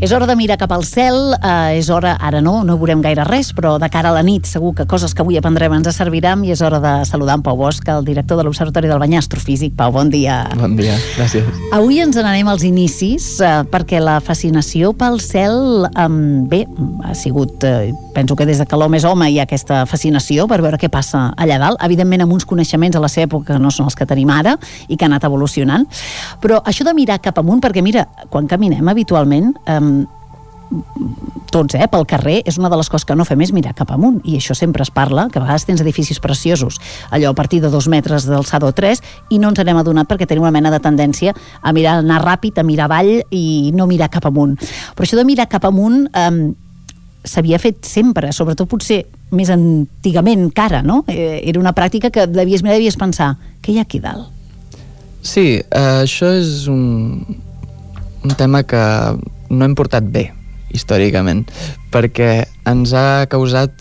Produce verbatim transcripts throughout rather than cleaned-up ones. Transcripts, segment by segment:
És hora de mirar cap al cel, eh, és hora, ara no, no veurem gaire res, però de cara a la nit segur que coses que avui aprendrem ens serviran, i és hora de saludar en Pau Bosch, el director de l'Observatori del Banyar Astrofísic. Pau, bon dia. Bon dia, gràcies. Avui ens n'anem als inicis, eh, perquè la fascinació pel cel, eh, bé, ha sigut, eh, penso que des de que l'home és home hi ha aquesta fascinació per veure què passa allà dalt, evidentment amb uns coneixements a la seva època que no són els que tenim ara i que ha anat evolucionant, però això de mirar cap amunt, perquè mira, quan caminem habitualment, eh, tots, eh, pel carrer, és una de les coses que no fem és mirar cap amunt, i això sempre es parla, que a vegades tens edificis preciosos, allò a partir de dos metres d'alçada o tres, i no ens n'hem adonat perquè tenim una mena de tendència a mirar, anar ràpid, a mirar avall i no mirar cap amunt. Però això de mirar cap amunt eh, s'havia fet sempre, sobretot potser més antigament que ara, no? Eh, era una pràctica que devies mirar, devies pensar, què hi ha aquí dalt? Sí, eh, això és un, un tema que no hem portat bé històricament, perquè ens ha causat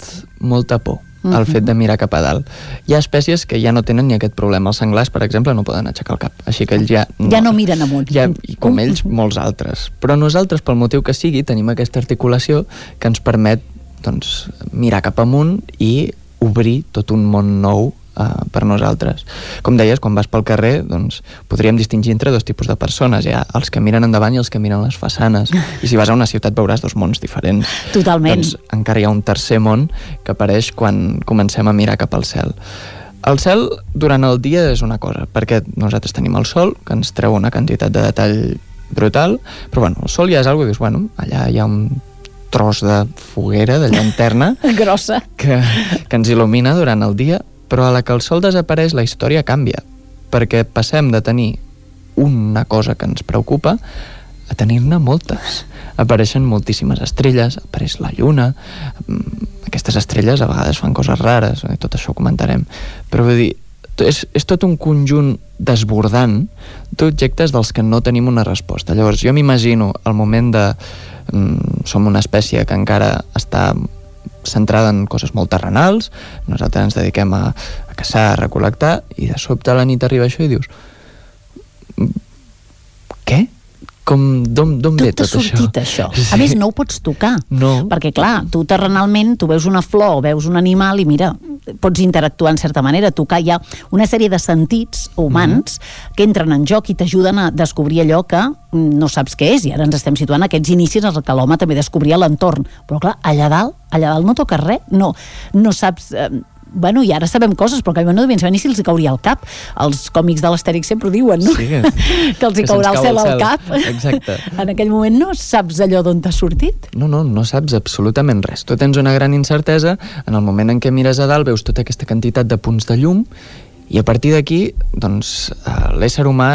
molta por el uh-huh. fet de mirar cap a dalt. Hi ha espècies que ja no tenen ni aquest problema. Els senglars, per exemple, no poden aixecar el cap, així que ells ja... No, ja no miren amunt. Ja, i com ells, molts altres. Però nosaltres, pel motiu que sigui, tenim aquesta articulació que ens permet, doncs, mirar cap amunt i obrir tot un món nou Uh, per nosaltres. Com deies, quan vas pel carrer, doncs podríem distingir entre dos tipus de persones. Hi ha els que miren endavant i els que miren les façanes. I si vas a una ciutat veuràs dos mons diferents. Totalment. Doncs encara hi ha un tercer món que apareix quan comencem a mirar cap al cel. El cel durant el dia és una cosa, perquè nosaltres tenim el sol, que ens treu una quantitat de detall brutal, però bueno, el sol ja és algo que dius, bueno, allà hi ha un tros de foguera, de llanterna grossa que, que ens il·lumina durant el dia, però a la que el sol desapareix la història canvia, perquè passem de tenir una cosa que ens preocupa a tenir-ne moltes. Apareixen moltíssimes estrelles, apareix la lluna, aquestes estrelles a vegades fan coses rares, tot això ho comentarem, però vull dir, és, és tot un conjunt desbordant d'objectes dels que no tenim una resposta. Llavors jo m'imagino el moment de mm, som una espècie que encara està centrada en coses molt terrenals, nosaltres ens dediquem a, a caçar, a recol·lectar, i de sobte a la nit arriba això i dius què? Com, d'on, d'on ve tot això? Tot t'ha sortit això. Sí. A més, no ho pots tocar. No. Perquè, clar, tu terrenalment, tu veus una flor o veus un animal i mira, pots interactuar en certa manera, tocar. Hi ha una sèrie de sentits humans mm. que entren en joc i t'ajuden a descobrir allò que no saps què és, i ara ens estem situant aquests inicis en què l'home també descobria l'entorn. Però, clar, allà dalt, allà dalt no toques res, no, no saps... Eh, bueno, i ara sabem coses, però que no devien saber ni si els hi cauria al cap. Els còmics de l'Astèrix sempre ho diuen, no? Sí, que, que els hi caurà el cel al cap. Exacte. En aquell moment no saps allò d'on t'ha sortit. No, no, no saps absolutament res. Tu tens una gran incertesa, en el moment en què mires a dalt veus tota aquesta quantitat de punts de llum, i a partir d'aquí, doncs, l'ésser humà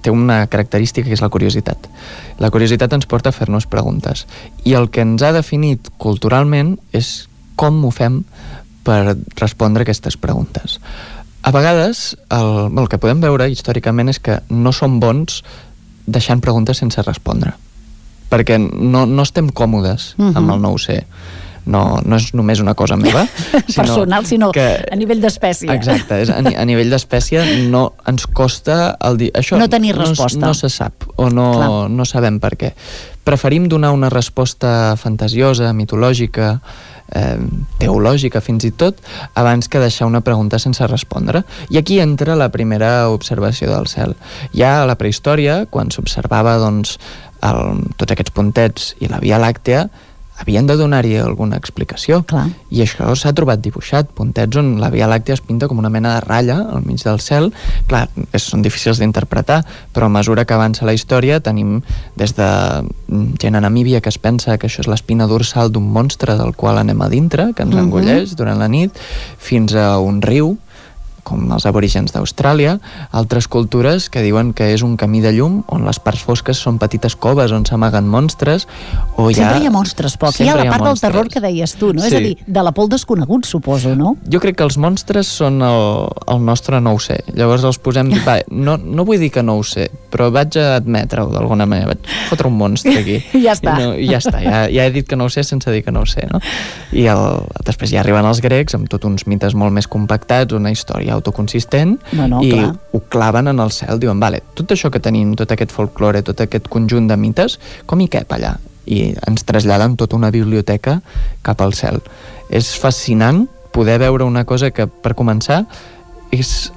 té una característica que és la curiositat. La curiositat ens porta a fer-nos preguntes. I el que ens ha definit culturalment és com ho fem per respondre aquestes preguntes. A vegades, el, el que podem veure històricament és que no som bons deixant preguntes sense respondre, perquè no, no estem còmodes uh-huh. amb el no ho sé. No, no és només una cosa meva, sinó personal, sinó que, a nivell d'espècie. Exacte, és a, a nivell d'espècie no ens costa el dir... Això no tenir resposta. No, no se sap, o no, no sabem per què. Preferim donar una resposta fantasiosa, mitològica, eh, teològica fins i tot, abans que deixar una pregunta sense respondre. I aquí entra la primera observació del cel. Ja a la prehistòria, quan s'observava doncs, el, tots aquests puntets i la Via Làctea, havien de donar-hi alguna explicació. Clar. I això s'ha trobat dibuixat, puntets on la Via Làctea es pinta com una mena de ratlla al mig del cel. Clar, és, són difícils d'interpretar, però a mesura que avança la història tenim des de gent a Namíbia que es pensa que això és l'espina dorsal d'un monstre del qual anem a dintre, que ens engolleix durant la nit, fins a un riu com els aborígens d'Austràlia, altres cultures que diuen que és un camí de llum on les parts fosques són petites coves on s'amaguen monstres, o hi ha... Sempre hi ha monstres, poc. Hi ha la part del terror que deies tu, no? Sí. És a dir, de la por desconegut, suposo, no? Jo crec que els monstres són el, el nostre no ho sé. Llavors els posem... Va, no, no vull dir que no ho sé, però vaig a admetre-ho d'alguna manera. Vaig fotre un monstre aquí. I ja està. I, no, i ja està. Ja, ja he dit que no ho sé sense dir que no ho sé, no? I el, després ja arriben els grecs amb tots uns mites molt més compactats, una història autoconsistent, no, no, i clar. Ho claven en el cel, diuen, vale, tot això que tenim, tot aquest folklore, tot aquest conjunt de mites, com hi cap allà? i ens traslladen tota una biblioteca cap al cel. És fascinant poder veure una cosa que, per començar, és...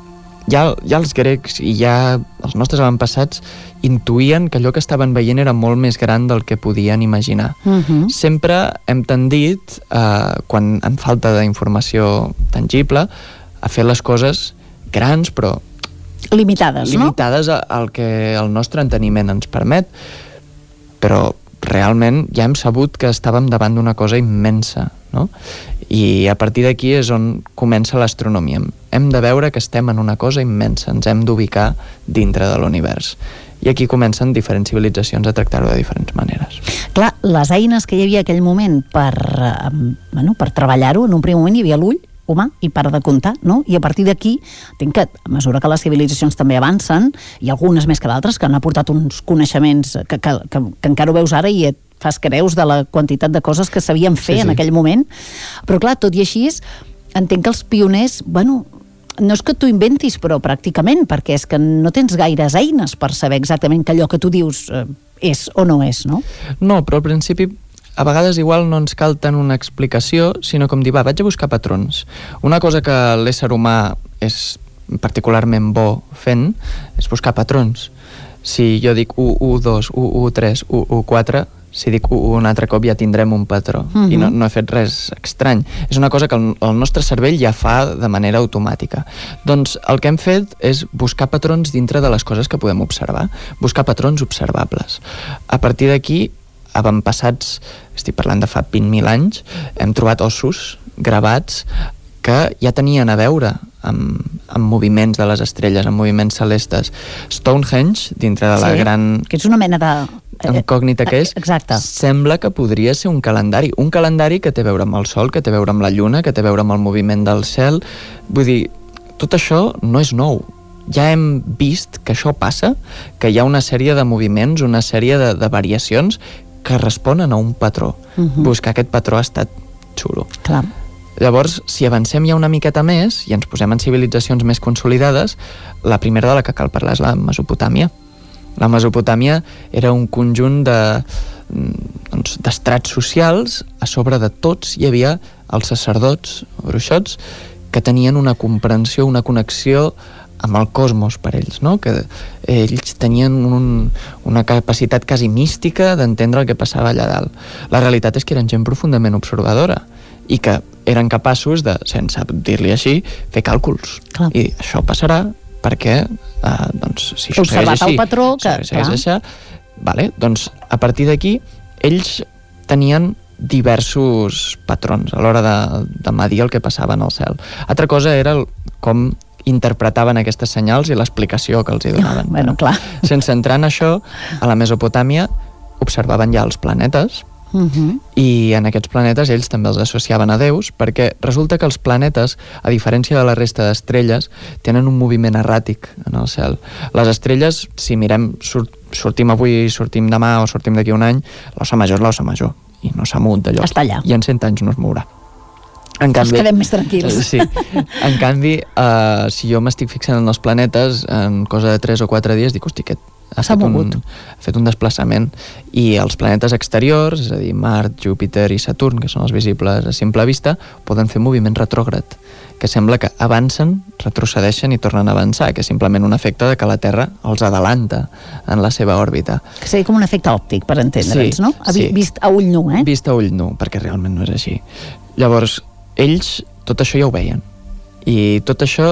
Ja, ja els grecs i ja els nostres avantpassats intuïen que allò que estaven veient era molt més gran del que podien imaginar. Uh-huh. Sempre hem tendit, eh, quan en falta d'informació tangible, a fer les coses grans, però limitades, no? Limitades al que el nostre enteniment ens permet, però realment ja hem sabut que estàvem davant d'una cosa immensa, no? I a partir d'aquí és on comença l'astronomia. Hem de veure que estem en una cosa immensa, ens hem d'ubicar dintre de l'univers. I aquí comencen diferents civilitzacions a tractar-ho de diferents maneres. Clar, les eines que hi havia en aquell moment per, eh, bueno, per treballar-ho, en un primer moment hi havia l'ull humà i para de comptar, no? I a partir d'aquí, entenc que a mesura que les civilitzacions també avancen, i algunes més que d'altres, que han aportat uns coneixements que, que, que, que encara ho veus ara i et fas creus de la quantitat de coses que sabien fer sí, sí. en aquell moment. Però clar, tot i així, entenc que els pioners, bueno, no és que tu inventis, però pràcticament, perquè és que no tens gaires eines per saber exactament que allò que tu dius eh, és o no és, no? No, però al principi a vegades igual no ens cal tant una explicació, sinó com dir, va, vaig a buscar patrons. Una cosa que l'ésser humà és particularment bo fent és buscar patrons. Si jo dic u, u, dos, u, u, tres, u, u, quatre, si dic u, un altre cop ja tindrem un patró. Uh-huh. I no, no he fet res estrany. És una cosa que el, el nostre cervell ja fa de manera automàtica. Doncs el que hem fet és buscar patrons dintre de les coses que podem observar. Buscar patrons observables. A partir d'aquí, avantpassats, estic parlant de fa vint mil anys, hem trobat ossos gravats que ja tenien a veure amb, amb moviments de les estrelles, amb moviments celestes. Stonehenge, dintre de la sí, gran... que és una mena de... incògnita que és, exacte. Sembla que podria ser un calendari. Un calendari que té a veure amb el Sol, que té a veure amb la Lluna, que té a veure amb el moviment del cel. Vull dir, tot això no és nou. Ja hem vist que això passa, que hi ha una sèrie de moviments, una sèrie de, de variacions que responen a un patró. Uh-huh. Buscar aquest patró ha estat xulo. Clar. Llavors, si avancem ja una miqueta més i ens posem en civilitzacions més consolidades, la primera de la que cal parlar és la Mesopotàmia. La Mesopotàmia era un conjunt de, doncs, d'estrats socials. A sobre de tots hi havia els sacerdots, bruixots, que tenien una comprensió, una connexió amb el cosmos per ells, no? Que ells tenien un, una capacitat quasi mística d'entendre el que passava allà dalt. La realitat és que eren gent profundament observadora i que eren capaços de, sense dir-li així, fer càlculs. Clar. I això passarà perquè, eh, doncs, si això segueix així, el patró, que, si segueix així, vale, doncs, a partir d'aquí, ells tenien diversos patrons a l'hora de, de medir el que passava en el cel. Altra cosa era el, com interpretaven aquestes senyals i l'explicació que els hi donaven. Bueno, clar. Sense entrar en això, a la Mesopotàmia observaven ja els planetes, uh-huh. i en aquests planetes ells també els associaven a déus, perquè resulta que els planetes, a diferència de la resta d'estrelles, tenen un moviment erràtic en el cel. Les estrelles, si mirem, surt, sortim avui, sortim demà o sortim d'aquí un any, l'ossa major és l'ossa major, i no s'ha mogut de lloc. Està allà. I en cent anys no es mourà. En canvi, ens quedem més tranquils. Sí. En canvi, uh, si jo m'estic fixant en els planetes, en cosa de tres o quatre dies, dic, hosti, aquest ha fet, un, ha fet un desplaçament. I els planetes exteriors, és a dir, Mart, Júpiter i Saturn, que són els visibles a simple vista, poden fer moviment retrògrad, que sembla que avancen, retrocedeixen i tornen a avançar, que és simplement un efecte de que la Terra els adelanta en la seva òrbita. Que seria com un efecte òptic, per entendre'ns, sí, no? Sí. Vist a ull nu, eh? Vist a ull nu, perquè realment no és així. Llavors, ells tot això ja ho veien. I tot això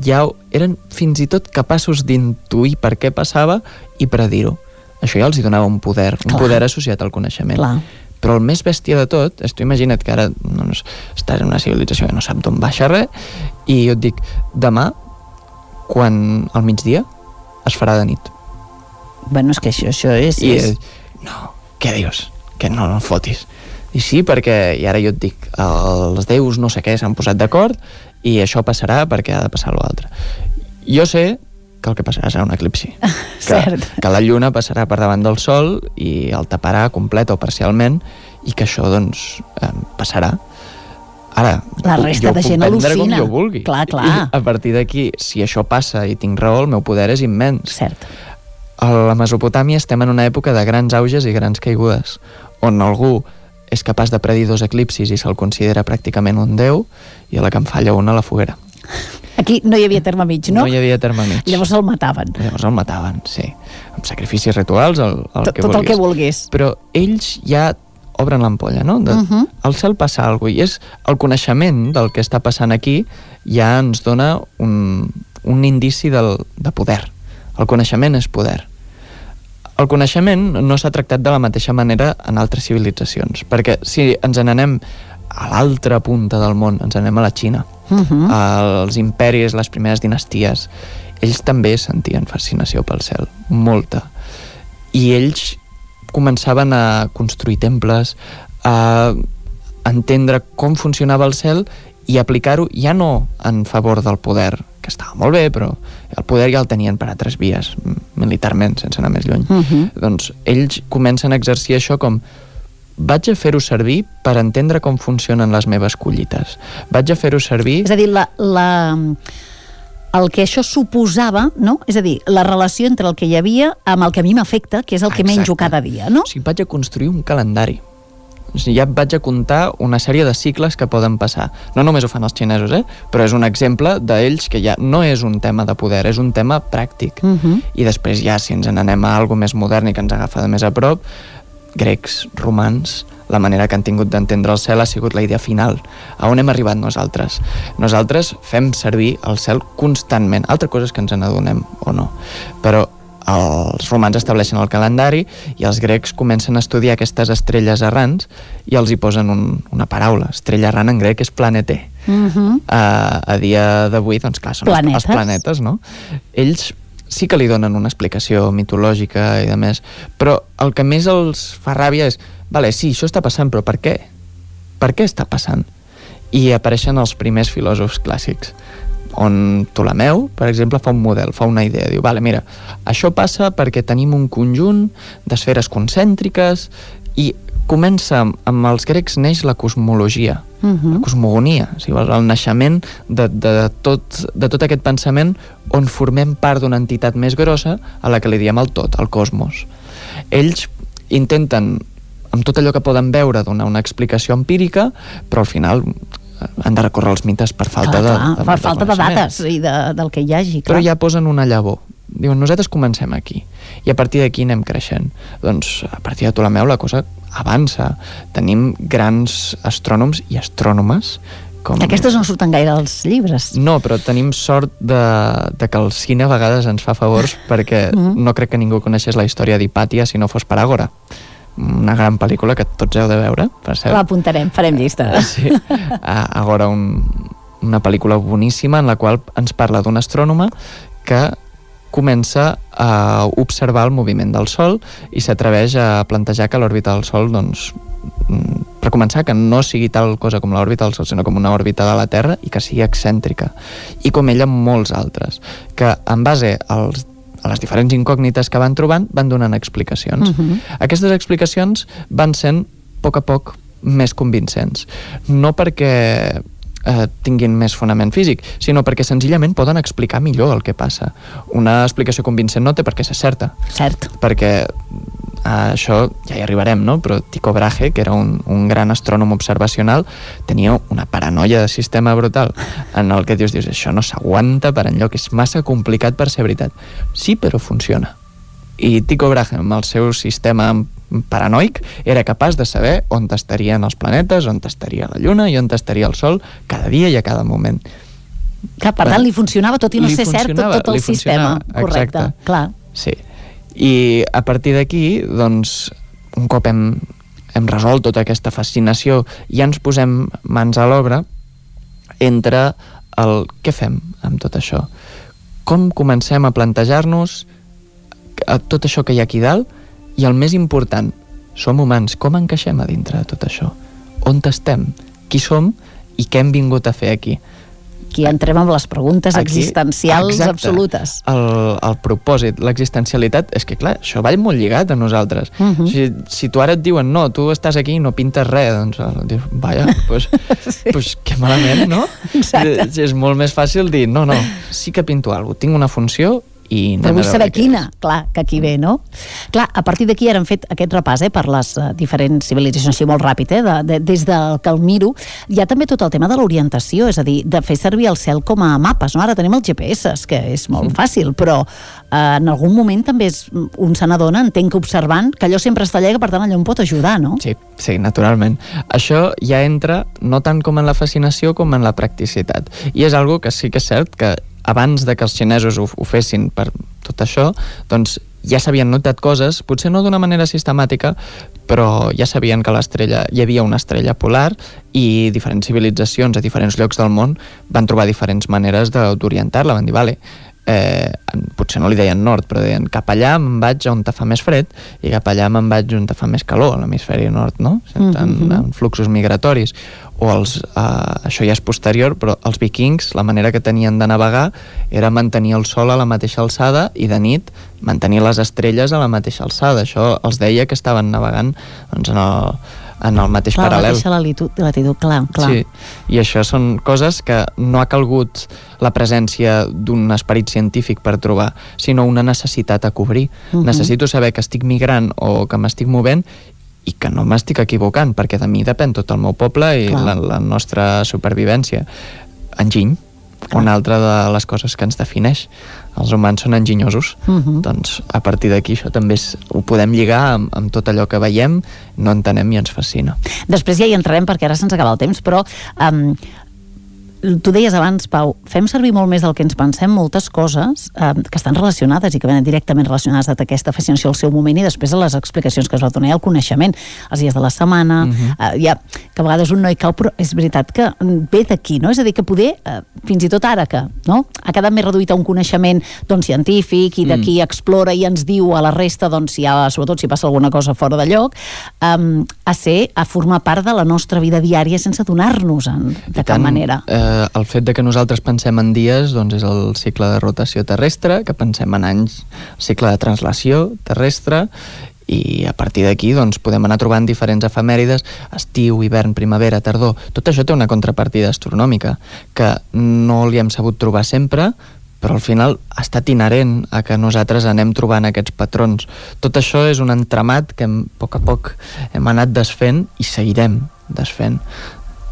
ja eren fins i tot capaços d'intuir per què passava i predir-ho. Això ja els hi donava un poder, un Clar. poder associat al coneixement. Clar. Però el més bèstia de tot és, tu imagina't que ara doncs, estàs en una civilització que no sap d'on baixa res, i jo et dic, demà, quan al migdia, es farà de nit. Bueno, és que això, això és... I, és... no, què dius? Que no, no fotis. I sí, perquè, i ara jo et dic, els déus no sé què s'han posat d'acord i això passarà perquè ha de passar l'altre. Jo sé que el que passarà serà un eclipsi. Que, que la lluna passarà per davant del sol i el taparà complet o parcialment i que això, doncs, eh, passarà. Ara, la resta de gent al·lucina. Com jo vulgui. Clar, clar. I a partir d'aquí, si això passa i tinc raó, el meu poder és immens. Cert. A la Mesopotàmia estem en una època de grans auges i grans caigudes, on algú és capaç de predir dos eclipsis i se'l considera pràcticament un déu, i a la que en falla una, la foguera. Aquí no hi havia terme mig, no? No hi havia terme mig. Llavors el mataven. Llavors el mataven, sí. Amb sacrificis rituals, el, el tot, que tot vulguis. el que vulguis. Però ells ja obren l'ampolla, no? De, uh -huh. Al cel passa alguna cosa, i és el coneixement del que està passant aquí ja ens dona un, un indici del, de poder. El coneixement és poder. El coneixement no s'ha tractat de la mateixa manera en altres civilitzacions, perquè si ens n'anem a l'altra punta del món, ens anem a la Xina, uh -huh. els imperis, les primeres dinasties, ells també sentien fascinació pel cel, molta. I ells començaven a construir temples, a entendre com funcionava el cel i aplicar-ho ja no en favor del poder, que estava molt bé, però el poder ja el tenien per altres vies, militarment, sense anar més lluny. Uh -huh. Doncs ells comencen a exercir això com: vaig a fer-ho servir per entendre com funcionen les meves collites. Vaig a fer-ho servir... És a dir, la, la, el que això suposava, no? És a dir, la relació entre el que hi havia amb el que a mi m'afecta, que és el que Exacte. menjo cada dia, no? O sigui, vaig a construir un calendari. O sigui, ja vaig a comptar una sèrie de cicles que poden passar. No només ho fan els xinesos, eh? Però és un exemple d'ells que ja no és un tema de poder, és un tema pràctic. Uh -huh. I després ja, si ens n'anem a alguna més modern i que ens agafa de més a prop, grecs, romans, la manera que han tingut d'entendre el cel ha sigut la idea final. A on hem arribat nosaltres? Nosaltres fem servir el cel constantment. Altra cosa és que ens n'adonem o no. Però els romans estableixen el calendari i els grecs comencen a estudiar aquestes estrelles errants i els hi posen un, una paraula. Estrella errant en grec és planeter. Uh-huh. a, a dia d'avui, doncs clar, són planetes. Els, els planetes, no? Ells sí que li donen una explicació mitològica i de més, però el que més els fa ràbia és: vale, sí, això està passant, però per què? Per què està passant? I apareixen els primers filòsofs clàssics, on Ptolemeu, per exemple, fa un model, fa una idea, diu: vale, mira, això passa perquè tenim un conjunt d'esferes concèntriques, i comença, amb els grecs neix la cosmologia, uh-huh. la cosmogonia, si vols, el naixement de, de, tot, de tot aquest pensament on formem part d'una entitat més grossa a la que li diem el tot, el cosmos. Ells intenten, amb tot allò que poden veure, donar una explicació empírica, però al final han de recórrer els mites per falta clar, de, de, per de falta de dates i de, del que hi hagi, clar. Però ja posen una llavor. Diuen, nosaltres comencem aquí i a partir d'aquí anem creixent. Doncs a partir de Ptolemeu la cosa avança. Tenim grans astrònoms i astrònomes com... Aquestes no surten gaire als llibres. No, però tenim sort de, de que el cine a vegades ens fa favors perquè mm. no crec que ningú coneixés la història d'Hipàtia si no fos per Àgora. Una gran pel·lícula que tots heu de veure, per cert. L'apuntarem, farem llista. Sí, Àgora, un, una pel·lícula boníssima en la qual ens parla d'un astrònoma que comença a observar el moviment del Sol i s'atreveix a plantejar que l'òrbita del Sol, doncs, per començar, que no sigui tal cosa com l'òrbita del Sol, sinó com una òrbita de la Terra i que sigui excèntrica. I com ella, molts altres, que en base als a les diferents incògnites que van trobant, van donant explicacions. Uh-huh. Aquestes explicacions van sent, a poc a poc, més convincents. No perquè eh, tinguin més fonament físic, sinó perquè senzillament poden explicar millor el que passa. Una explicació convincent no té per què ser certa. Cert. Perquè a això ja hi arribarem, no? Però Tycho Brahe, que era un, un gran astrònom observacional, tenia una paranoia de sistema brutal en el que dius, dius això no s'aguanta per enlloc, és massa complicat per ser veritat. Sí, però funciona. I Tycho Brahe, amb el seu sistema paranoic, era capaç de saber on estarien els planetes, on estaria la Lluna i on estaria el Sol cada dia i a cada moment. Que, per tant, li funcionava tot i no ser cert tot, tot el sistema. Correcte, exacte. Clar. Sí. I a partir d'aquí, doncs, un cop hem, hem resolt tota aquesta fascinació, ja ens posem mans a l'obra entre el què fem amb tot això. Com comencem a plantejar-nos tot això que hi ha aquí dalt i el més important, som humans, com encaixem a dintre de tot això? On estem? Qui som i què hem vingut a fer aquí? Aquí entrem amb les preguntes aquí, existencials exacte, absolutes. El, el propòsit, l'existencialitat, és que clar, això va molt lligat a nosaltres. Uh-huh. si, si tu ara et diuen, no, tu estàs aquí i no pintes res, doncs dius, vaja, doncs sí. pues, que malament, no? Exacte. És, és molt més fàcil dir, no, no, sí que pinto alguna cosa, tinc una funció i però vull saber quina, és. clar, que aquí ve, no? Clar, a partir d'aquí ara hem fet aquest repàs eh, per les uh, diferents civilitzacions, així molt ràpid, eh, de, de, des del que el miro, hi ha també tot el tema de l'orientació, és a dir, de fer servir el cel com a mapes, no? Ara tenim els G P S, que és molt mm. fàcil, però uh, en algun moment també és, un se n'adona, entenc que observant, que allò sempre està allà, que per tant allò em pot ajudar, no? Sí, sí, naturalment. Això ja entra no tant com en la fascinació com en la practicitat. I és algo que sí que és cert que abans de que els xinesos ho, ho fessin per tot això, doncs ja s'havien notat coses, potser no d'una manera sistemàtica, però ja sabien que l'estrella, hi havia una estrella polar i diferents civilitzacions a diferents llocs del món van trobar diferents maneres d'orientar-la, van dir, vale, eh, potser no li deien nord, però deien cap allà me'n vaig on te fa més fred i cap allà me'n vaig on te fa més calor, a l'hemisferi nord, no? En, en, en fluxos migratoris. O els, eh, això ja és posterior, però els vikings, la manera que tenien de navegar era mantenir el sol a la mateixa alçada i de nit mantenir les estrelles a la mateixa alçada. Això els deia que estaven navegant doncs, en el en el mateix clar, paral·lel. La mateixa latitud, latitud, clar, clar. Sí, i això són coses que no ha calgut la presència d'un esperit científic per trobar, sinó una necessitat a cobrir. Uh-huh. Necessito saber que estic migrant o que m'estic movent i que no m'estic equivocant, perquè de mi depèn tot el meu poble i la, la nostra supervivència. Enginy, clar. Una altra de les coses que ens defineix. Els humans són enginyosos. Uh-huh. Doncs a partir d'aquí això també és, ho podem lligar amb, amb tot allò que veiem, no entenem i ens fascina. Després ja hi entrarem perquè ara se'ns acaba el temps, però um, tu deies abans, Pau, fem servir molt més del que ens pensem moltes coses eh, que estan relacionades i que venen directament relacionades amb aquesta fascinació al seu moment i després a les explicacions que es va donar i el coneixement, els dies de la setmana, uh-huh. eh, ja, que a vegades un no hi cau, però és veritat que ve d'aquí, no? És a dir, que poder, eh, fins i tot ara que no? Ha quedat més reduït a un coneixement doncs, científic i d'aquí mm. explora i ens diu a la resta, doncs, si ha, sobretot si passa alguna cosa fora de lloc, eh, a ser, a formar part de la nostra vida diària sense donar-nos-en de cap tant, manera. Eh, el fet de que nosaltres pensem en dies doncs és el cicle de rotació terrestre, que pensem en anys, el cicle de translació terrestre, i a partir d'aquí doncs, podem anar trobant diferents efemèrides, estiu, hivern, primavera, tardor. Tot això té una contrapartida astronòmica que no li hem sabut trobar sempre, però al final ha estat inherent a que nosaltres anem trobant aquests patrons. Tot això és un entramat que a poc a poc hem anat desfent i seguirem desfent.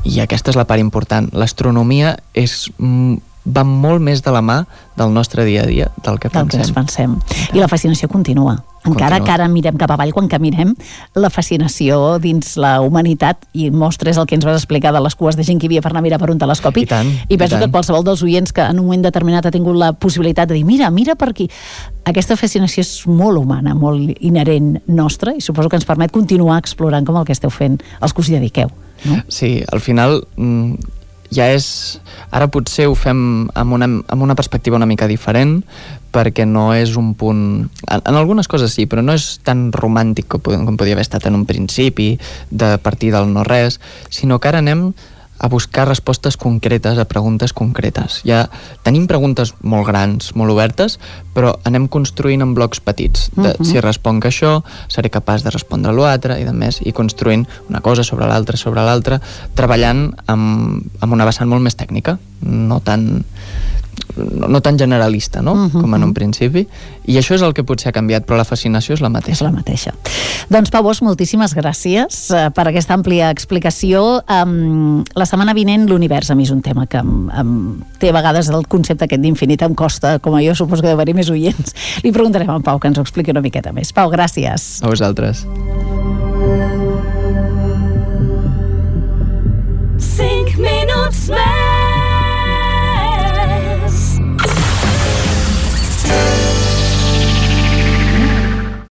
I aquesta és la part important. L'astronomia és, va molt més de la mà del nostre dia a dia, del que del pensem. Que pensem. I la fascinació continua. Encara continua. que ara mirem cap avall, quan caminem, la fascinació dins la humanitat, i mostres el que ens vas explicar de les cues de gent que hi havia per anar a mirar per un telescopi, I, tant, i penso i tant. que qualsevol dels oients que en un moment determinat ha tingut la possibilitat de dir mira, mira per aquí. Aquesta fascinació és molt humana, molt inherent nostra, i suposo que ens permet continuar explorant com el que esteu fent, els que us hi dediqueu. No? Sí, al final ja és... Ara potser ho fem amb una, amb una perspectiva una mica diferent, perquè no és un punt... En, en algunes coses sí, però no és tan romàntic com, com podia haver estat en un principi, de partir del no-res, sinó que ara anem a buscar respostes concretes a preguntes concretes. Ja tenim preguntes molt grans, molt obertes, però anem construint en blocs petits. De, uh-huh. Si responc això, seré capaç de respondre l'altre i de més, i construint una cosa sobre l'altra, sobre l'altra, treballant amb, amb una vessant molt més tècnica, no tan... No, no tan generalista, no? Uh-huh. Com en un principi. I això és el que potser ha canviat, però la fascinació és la mateixa. És la mateixa. Doncs, Pau Bosch, moltíssimes gràcies uh, per aquesta àmplia explicació. Um, la setmana vinent l'univers a mi és un tema que um, um, té a vegades el concepte aquest d'infinit em costa, com a jo suposo que deu haver-hi més oients. Li preguntarem a en Pau que ens ho expliqui una miqueta més. Pau, gràcies. A vosaltres.